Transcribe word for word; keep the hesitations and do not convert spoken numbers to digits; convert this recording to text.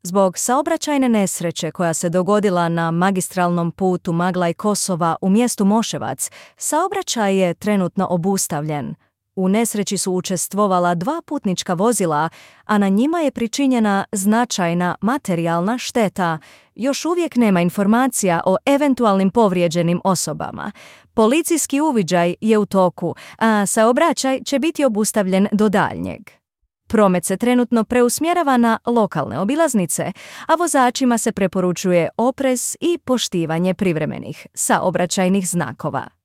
Zbog saobraćajne nesreće koja se dogodila na magistralnom putu Maglaj Kosova u mjestu Moševac, saobraćaj je trenutno obustavljen. U nesreći su učestvovala dva putnička vozila, a na njima je pričinjena značajna materijalna šteta. Još uvijek nema informacija o eventualnim povrijeđenim osobama. Policijski uviđaj je u toku, a saobraćaj će biti obustavljen do daljnjeg. Promet se trenutno preusmjerava na lokalne obilaznice, a vozačima se preporučuje oprez i poštivanje privremenih saobraćajnih znakova.